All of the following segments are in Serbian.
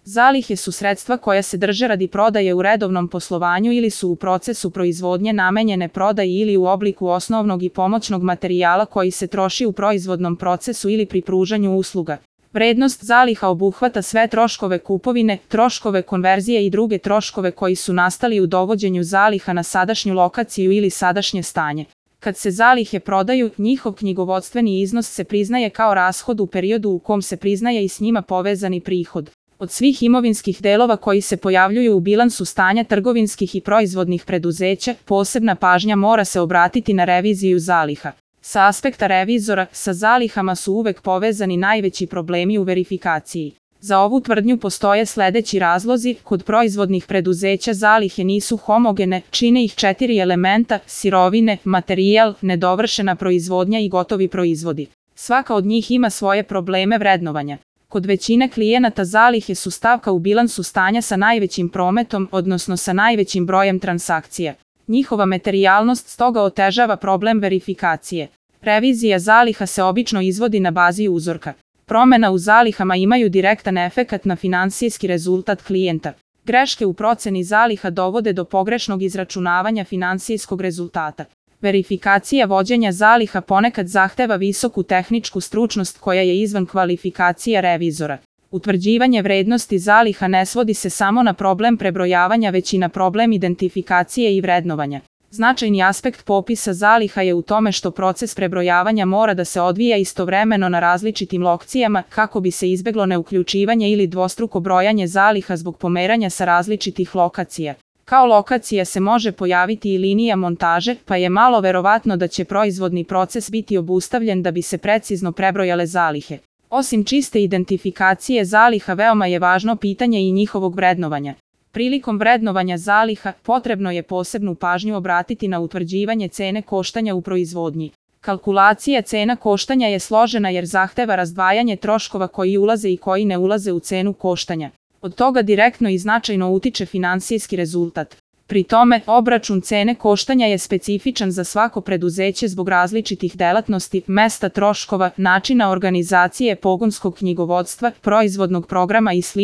Zalihe su sredstva koja se drže radi prodaje u redovnom poslovanju ili su u procesu proizvodnje namenjene prodaji ili u obliku osnovnog i pomoćnog materijala koji se troši u proizvodnom procesu ili pri pružanju usluga. Vrednost zaliha obuhvata sve troškove kupovine, troškove konverzije i druge troškove koji su nastali u dovođenju zaliha na sadašnju lokaciju ili sadašnje stanje. Kad se zalihe prodaju, njihov knjigovodstveni iznos se priznaje kao rashod u periodu u kom se priznaje i s njima povezani prihod. Od svih imovinskih delova koji se pojavljuju u bilansu stanja trgovinskih i proizvodnih preduzeća, posebna pažnja mora se obratiti na reviziju zaliha. Sa aspekta revizora, sa zalihama su uvek povezani najveći problemi u verifikaciji. Za ovu tvrdnju postoje sledeći razlozi: kod proizvodnih preduzeća zalihe nisu homogene, čine ih 4 elementa: sirovine, materijal, nedovršena proizvodnja i gotovi proizvodi. Svaka od njih ima svoje probleme vrednovanja. Kod većine klijenata zalihe su stavka u bilansu stanja sa najvećim prometom, odnosno sa najvećim brojem transakcija. Njihova materijalnost stoga otežava problem verifikacije. Revizija zaliha se obično izvodi na bazi uzorka. Promena u zalihama imaju direktan efekat na finansijski rezultat klijenta. Greške u proceni zaliha dovode do pogrešnog izračunavanja finansijskog rezultata. Verifikacija vođenja zaliha ponekad zahteva visoku tehničku stručnost koja je izvan kvalifikacija revizora. Utvrđivanje vrednosti zaliha ne svodi se samo na problem prebrojavanja, već i na problem identifikacije i vrednovanja. Značajni aspekt popisa zaliha je u tome što proces prebrojavanja mora da se odvija istovremeno na različitim lokacijama kako bi se izbeglo neuključivanje ili dvostruko brojanje zaliha zbog pomeranja sa različitih lokacija. Kao lokacija se može pojaviti i linija montaže, pa je malo verovatno da će proizvodni proces biti obustavljen da bi se precizno prebrojale zalihe. Osim čiste identifikacije zaliha, veoma je važno pitanje i njihovog vrednovanja. Prilikom vrednovanja zaliha, potrebno je posebnu pažnju obratiti na utvrđivanje cene koštanja u proizvodnji. Kalkulacija cena koštanja je složena jer zahteva razdvajanje troškova koji ulaze i koji ne ulaze u cenu koštanja. Od toga direktno i značajno utiče finansijski rezultat. Pri tome, obračun cene koštanja je specifičan za svako preduzeće zbog različitih delatnosti, mesta troškova, načina organizacije pogonskog knjigovodstva, proizvodnog programa i sl.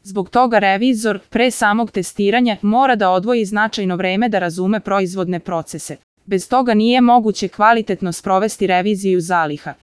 Zbog toga revizor, pre samog testiranja, mora da odvoji značajno vreme da razume proizvodne procese. Bez toga nije moguće kvalitetno sprovesti reviziju zaliha.